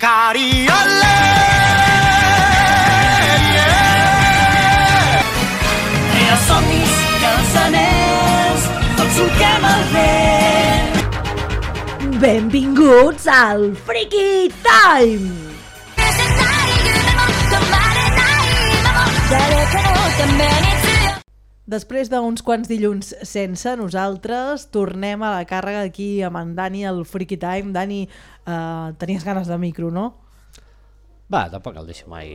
光あれsomnis cançoners, tots truquem al vent. Benvinguts al Freaky Time! Després d'uns quants dilluns sense nosaltres, tornem a la càrrega aquí amb en Dani al Freaky Time. Dani, tenies ganes de micro, no? Va, tampoc el deixo mai,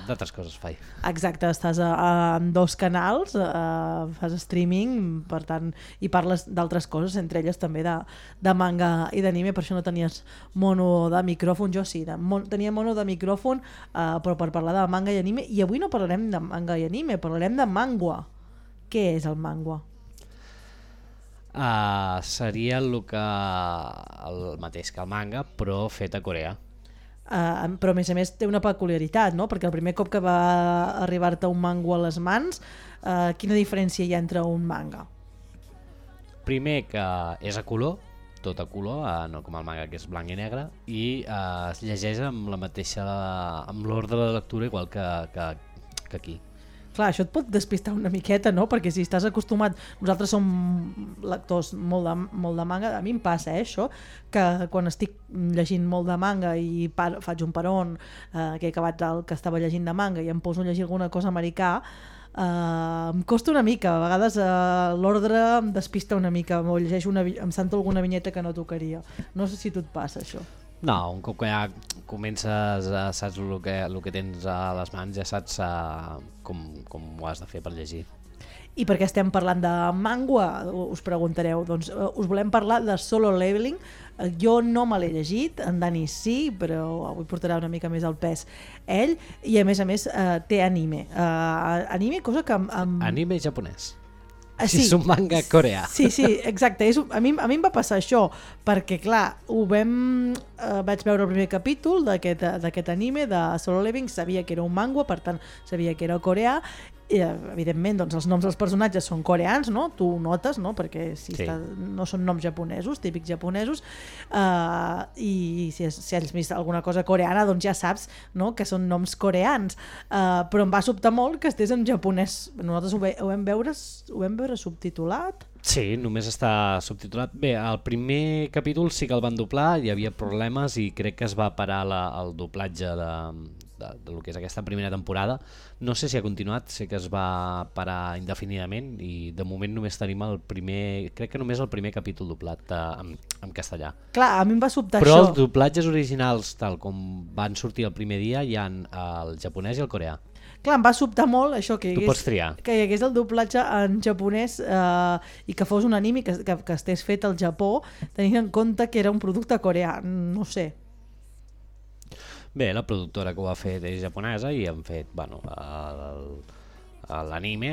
d'altres coses faig. Exacte, estàs en dos canals, fas streaming, per tant, i parles d'altres coses, entre elles també de manga i d'anime, per això no tenies mono de micròfon. Jo sí, tenia mono de micròfon, però per parlar de manga i anime, i avui no parlarem de manga i anime, parlarem de mangua. Què és el mangua? Seria el mateix que el manga, però fet a Corea. Però a més té una peculiaritat, no? Perquè el primer cop que va arribar-te un manga a les mans, quina diferència hi ha entre un manga? Primer que és a color, tot a color, no com el manga que és blanc i negre, i es llegeix amb l'ordre de lectura igual que aquí. Clar, això et pot despistar una miqueta, no? Perquè si estàs acostumat... Nosaltres som lectors molt de manga. A mi em passa això, que quan estic llegint molt de manga i faig un peron, que he acabat el que estava llegint de manga i em poso a llegir alguna cosa americà, em costa una mica. A vegades l'ordre em despista una mica, o llegeixo em salto alguna vinyeta que no tocaria. No sé si tu et passa això. No, un cop que ja comences, saps el que tens a les mans, ja saps com ho has de fer per llegir. I per què estem parlant de manga, us preguntareu? Doncs us volem parlar de Solo Leveling. Jo no me l'he llegit, en Dani sí, però avui portarà una mica més el pes ell, i a més té anime. Anime, cosa que... Anime japonès. Sí, és un manga coreà. Sí, exacte. A mi em va passar això, perquè clar, vaig veure el primer capítol d'aquest anime de Solo Leveling, sabia que era un manga, per tant sabia que era coreà, i evidentment doncs, els noms dels personatges són coreans, no? Tu ho notes, no? Perquè no són noms japonesos, típics japonesos, i si has vist alguna cosa coreana doncs ja saps, no? Que són noms coreans, però em va sobtar molt que estés en japonès. Nosaltres ho vam veure subtitulat. Sí, només està subtitulat. Bé, el primer capítol sí que el van doblar, hi havia problemes i crec que es va parar el doblatge del que és aquesta primera temporada. No sé si ha continuat, sé que es va parar indefinidament i de moment només tenim crec que només el primer capítol doblat en castellà. Clar, a mi em va sobtar però això. Els doblatges originals, tal com van sortir el primer dia, hi ha el japonès i el coreà. Clar, em va sobtar molt això, que pots triar. Que hi hagués el doblatge en japonès i que fos un anime que estés fet al Japó, tenint en compte que era un producte coreà, no sé. Bé, la productora que ho ha fet és japonesa i han fet l'anime,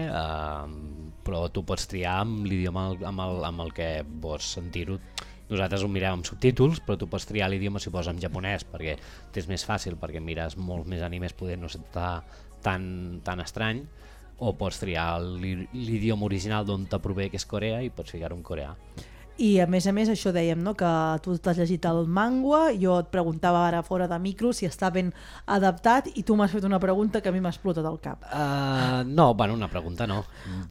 però tu pots triar amb l'idioma amb el que vols sentir-ho. Nosaltres ho mirem amb subtítols, però tu pots triar l'idioma si poses en japonès, perquè t'és més fàcil, perquè mires molts més animes, poder no ser tan estrany, o pots triar l'idioma original d'on te prové, que és Corea, i pots ficar-ho en coreà. I a més això dèiem, no? Que tu t'has llegit el manga, jo et preguntava ara fora de micro si està ben adaptat i tu m'has fet una pregunta que a mi m'ha explotat al cap. No, bueno, una pregunta no.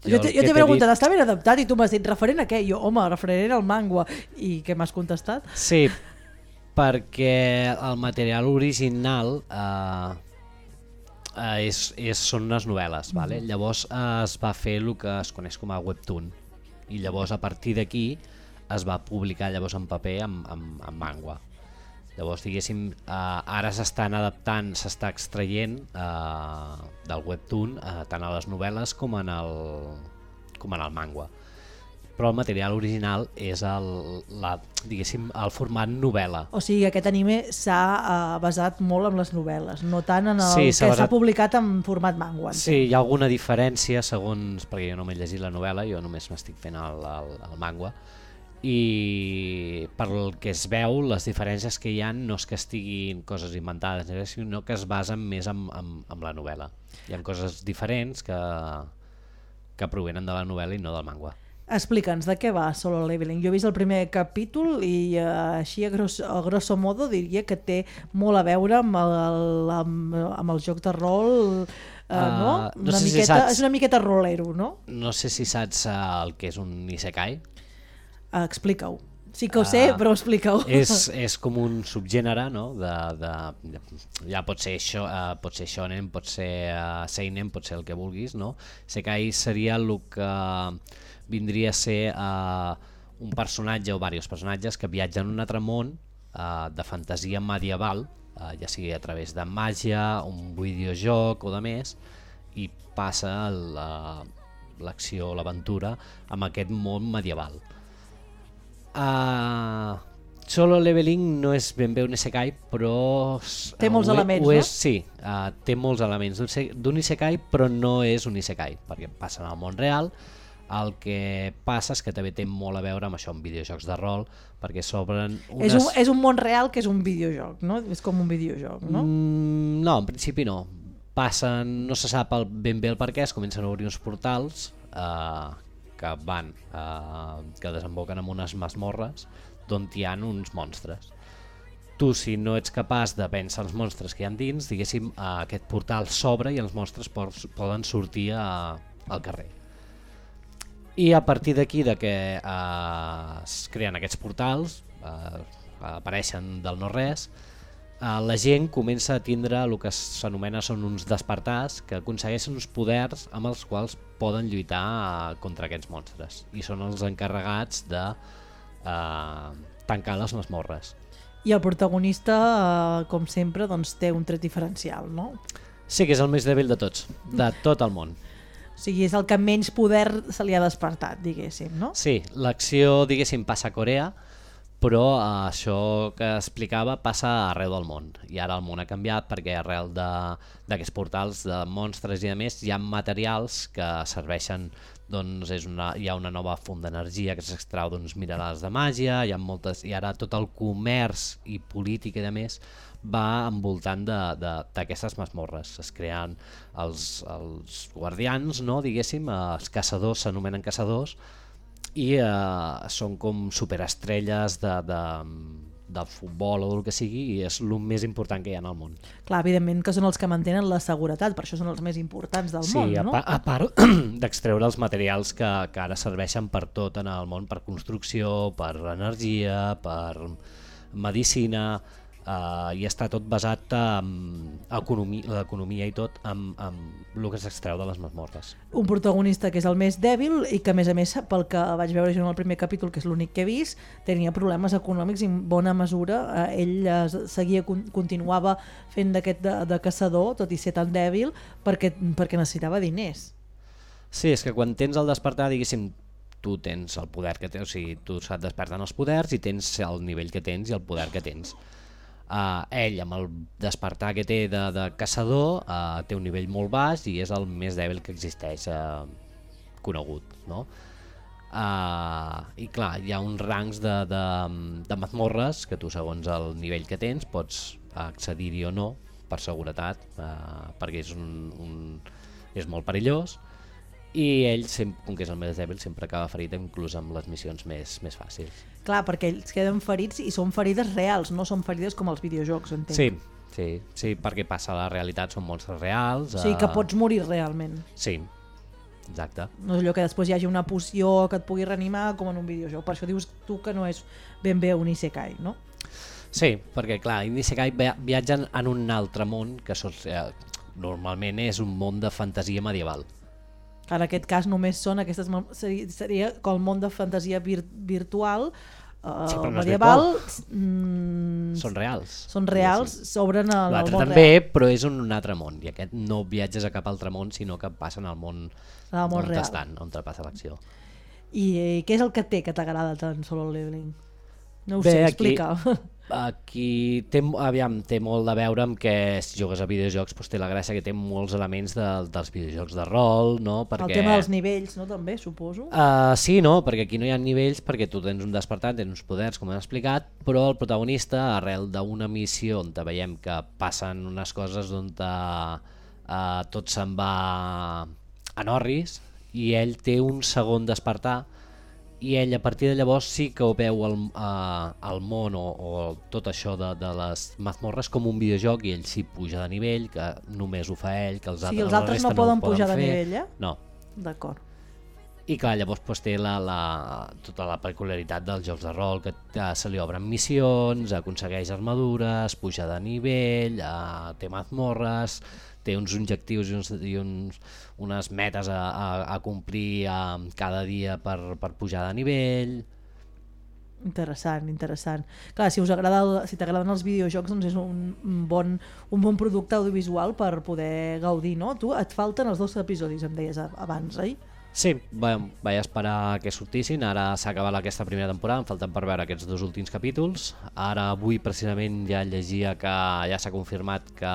Jo t'he preguntat, està ben adaptat? I tu m'has dit, referent a què? Jo, home, referent al manga. I què m'has contestat? Sí, perquè el material original són unes novel·les, vale? Llavors es va fer el que es coneix com a webtoon i llavors a partir d'aquí es va publicar llavors en paper amb manga. Llavors diguéssim, ara s'estan adaptant, s'està extraient del webtoon tant a les novel·les com en el manga. Però el material original és el format novel·la. O sigui, aquest anime s'ha basat molt en les novel·les, no tant en el Sí, que s'ha publicat en format manga. Sí, hi ha alguna diferència segons, perquè jo no m'he llegit la novel·la, jo només m'estic fent el manga, i pel que es veu les diferències que hi ha no és que estiguin coses inventades, sinó que es basen més en la novel·la. Hi ha coses diferents que provenen de la novel·la i no del manga. Explica'ns de què va Solo Leveling. Jo he vist el primer capítol i així a grosso modo diria que té molt a veure amb el joc de rol, no? No sé si saps... És una miqueta rolero, no? No sé si saps el que és un isekai. Explica-ho. Sí que ho sé, però explica-ho. És com un subgènere, no? Ja pot ser shonen, pot ser seinen, pot ser el que vulguis, no? Isekai seria el que vindria a ser un personatge o diversos personatges que viatgen a un altre món de fantasia medieval, ja sigui a través de màgia, un videojoc o de més, i passa l'acció o l'aventura amb aquest món medieval. Solo Leveling no és ben bé un isekai, però té molts elements, no? Sí, té molts elements d'un isekai, però no és un isekai, perquè passa en el món real. El que passa és que també té molt a veure amb això, amb videojocs de rol, perquè s'obren unes... És un món real que és un videojoc, no? És com un videojoc, no? No, en principi no. No se sap ben bé el per què, es comencen a obrir uns portals que desemboquen en unes masmorres d'on hi ha uns monstres. Tu, si no ets capaç de vèncer els monstres que hi ha dins, diguéssim, aquest portal s'obre i els monstres poden sortir al carrer. I a partir d'aquí de que es creen aquests portals, apareixen del no-res, la gent comença a tindre el que s'anomena són uns despertars que aconsegueixen uns poders amb els quals poden lluitar contra aquests monstres i són els encarregats de tancar les masmorres. I el protagonista, com sempre, doncs, té un tret diferencial, no? Sí, que és el més dèbil de tots, de tot el món. O sigui, és el que menys poder se li ha despertat, diguéssim, no? Sí, l'acció, diguéssim, passa a Corea, però això que explicava passa arreu del món. I ara el món ha canviat perquè arrel d'aquests portals de monstres i de més hi ha materials que serveixen, doncs hi ha una nova font d'energia que s'extrau d'uns minerals de màgia, i ara tot el comerç i política i de més va envoltant d'aquestes masmorres. Es creen els guardians, no, diguéssim, els caçadors s'anomenen caçadors i són com superestrelles del futbol o del que sigui i és el més important que hi ha en el món. Clar, evidentment que són els que mantenen la seguretat, per això són els més importants del món, no? Sí, a part d'extreure els materials que ara serveixen per tot en el món, per construcció, per energia, per medicina, i està tot basat en l'economia i tot amb el que s'extreu de les masmorres. Un protagonista que és el més dèbil i que a més pel que vaig veure jo en el primer capítol, que és l'únic que he vist, tenia problemes econòmics i en bona mesura ell continuava fent d'aquest de caçador, tot i ser tan dèbil, perquè necessitava diners. Sí, és que quan tens el despertar, diguéssim, tu tens el poder que tens, o sigui, tu se't desperten els poders i tens el nivell que tens i el poder que tens. Ell, amb el despertar que té de caçador, té un nivell molt baix i és el més dèbil que existeix conegut, no? I clar, hi ha uns rangs de mazmorres que tu, segons el nivell que tens, pots accedir-hi o no per seguretat, perquè és molt perillós, i ell, com que és el més dèbil, sempre acaba ferit inclús amb les missions més fàcils. Clar, perquè ells queden ferits i són ferides reals, no són ferides com els videojocs, entenc. Sí, perquè passa a la realitat, són monstres reals. O sigui que pots morir realment. Sí, exacte. No és allò que després hi hagi una poció que et pugui reanimar com en un videojoc, per això dius tu que no és ben bé un isekai, no? Sí, perquè clar, en isekai viatgen en un altre món que normalment és un món de fantasia medieval. En aquest cas només són aquestes... Seria com el món de fantasia virtual, medieval... Són reals. Són reals, s'obren al món real. L'altre també, però és un altre món, i aquest no viatges a cap altre món, sinó que passen al món on estan, on te passa l'acció. I què és el que té que t'agrada tant Solo Leveling? No ho sé, explica. Aquí té molt a veure amb que si jugues a videojocs doncs té la gràcia que té molts elements dels videojocs de rol, no? Perquè... El tema dels nivells, no? També, suposo. Sí, no? Perquè aquí no hi ha nivells, perquè tu tens un despertat, tens uns poders, com hem explicat, però el protagonista, arrel d'una missió on veiem que passen unes coses on tot se'n va en orris, i ell té un segon despertar i ell a partir de llavors sí que ho veu el món o tot això de les mazmorres com un videojoc, i ell sí puja de nivell, que només ho fa ell, que els altres, els altres no poden pujar de nivell, eh? No. D'acord. I clar, llavors pues, té tota la peculiaritat dels jocs de rol, que se li obren missions, aconsegueix armadures, puja de nivell, té mazmorres, té uns objectius i unes metes a complir cada dia per pujar de nivell. Interessant. Clar, si t'agraden els videojocs, doncs és un bon producte audiovisual per poder gaudir, no? Tu et falten els 2 episodis, em deies abans, oi? Sí, vaig esperar que sortissin, ara s'ha acabat aquesta primera temporada, em falten per veure aquests 2 últims capítols. Ara avui precisament ja llegia que ja s'ha confirmat que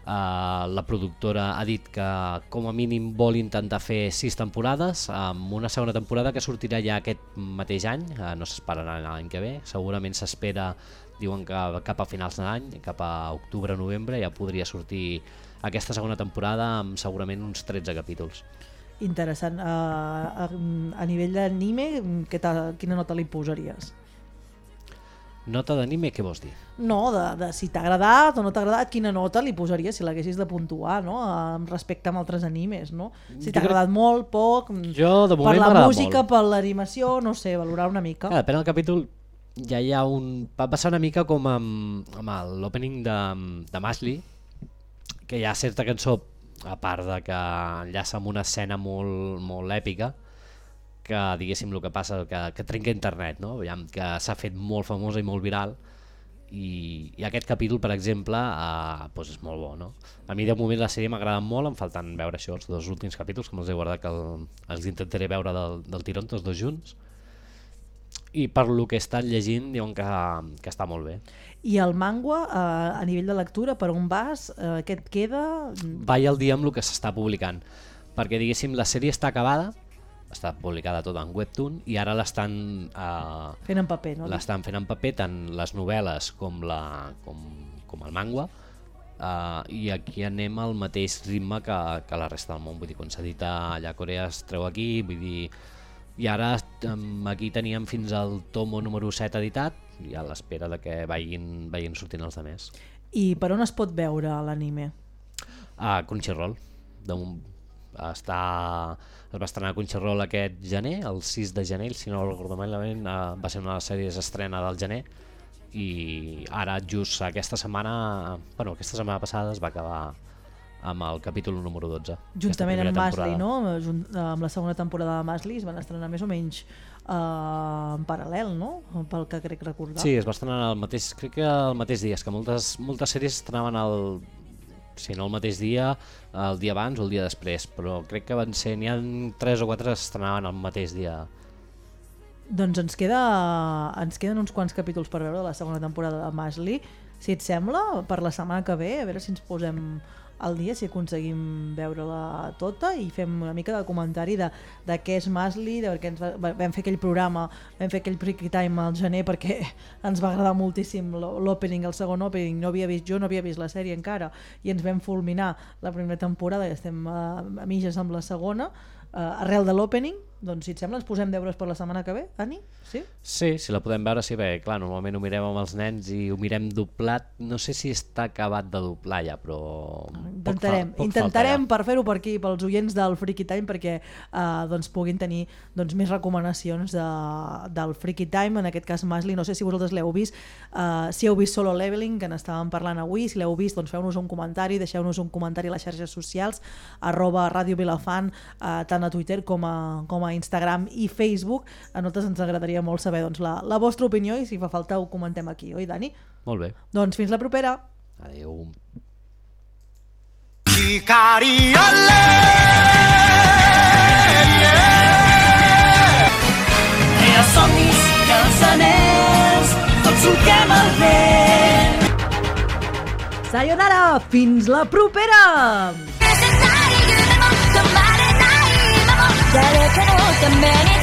la productora ha dit que com a mínim vol intentar fer 6 temporades, amb una segona temporada que sortirà ja aquest mateix any, no s'esperarà l'any que ve, segurament s'espera, diuen que cap a finals de l'any, cap a octubre-novembre ja podria sortir aquesta segona temporada amb segurament uns 13 capítols. Interessant. A nivell d'anime, quina nota li posaries? Nota d'anime, què vols dir? No, de si t'ha agradat o no t'ha agradat, quina nota li posaries si l'haguessis de puntuar, no? Respecte amb altres animes, no? Si t'ha agradat molt, poc, jo, de moment, per la música, per l'animació, no sé, valorar una mica. Depèn del capítol, ja hi ha va passar una mica com amb l'opening de Mashley, que hi ha certa cançó, a part de que enllaça amb una escena molt èpica, que diguéssim el que passa, que trenca internet, no? Que s'ha fet molt famosa i molt viral, i aquest capítol, per exemple, doncs és molt bo, no? A mi de moment la sèrie m'agrada molt, em falten veure això, els 2 últims capítols, que me'ls he guardat, que els intentaré veure del tirón tots 2 junts, i per lo que he estat llegint diuen que està molt bé. I el manga, a nivell de lectura, per on vas? Què et queda? Vaig al dia amb el que s'està publicant, perquè diguéssim la sèrie està acabada, està publicada tota en webtoon, i ara l'estan fent en paper, no? L'estan fent en paper, tant les novel·les com el manga, i aquí anem al mateix ritme que la resta del món, vull dir, quan s'edita allà a Corea es treu aquí, vull dir, i ara aquí teníem fins al tomo número 7 editat, i a l'espera de que vagin sortint els altres. I per on es pot veure l'anime? A Crunchyroll. Es va estrenar a Crunchyroll aquest gener, el 6 de gener, si no recordo malament, va ser una de les sèries estrena del gener, i ara just aquesta setmana passada es va acabar amb el capítol número 12. Juntament amb Mashley, no? Amb la segona temporada de Mashley es van estrenar més o menys en paral·lel, no? Pel que crec recordar. Sí, es va estrenar crec que el mateix dia, és que moltes sèries estrenaven si no el mateix dia, el dia abans o el dia després, però crec que n'hi ha 3 o 4 que estrenaven el mateix dia. Doncs ens queden uns quants capítols per veure de la segona temporada de Mashley. Si et sembla, per la setmana que ve, a veure si ens posem al dia, si aconseguim veure-la tota i fem una mica de comentari de què és Mashley, perquè vam fer aquell programa, vam fer aquell Freaky Time al gener perquè ens va agradar moltíssim l'opening, el segon opening, jo no havia vist la sèrie encara, i ens vam fulminar la primera temporada i estem a mitges amb la segona, arrel de l'opening. Doncs si et sembla ens posem deures per la setmana que ve, Ani? Sí? Sí, si la podem veure, sí, bé, clar, normalment ho mirem amb els nens i ho mirem doblat, no sé si està acabat de doblar ja, però intentarem per fer-ho per aquí, pels oients del Freaky Time, perquè puguin tenir més recomanacions del Freaky Time, en aquest cas Mashley. No sé si vosaltres l'heu vist, si heu vist Solo Leveling, que n'estàvem parlant avui, si l'heu vist, doncs feu-nos un comentari, deixeu-nos un comentari a les xarxes socials, @Radio Vilafant, tant a Twitter com a Instagram i Facebook. A nosaltres ens agradaria molt saber la vostra opinió i si fa falta ho comentem aquí, oi, Dani? Molt bé. Doncs fins la propera. Adéu. Crea somnis i els anells, tots solquem el vent. Sayonara, fins la propera! 誰かのために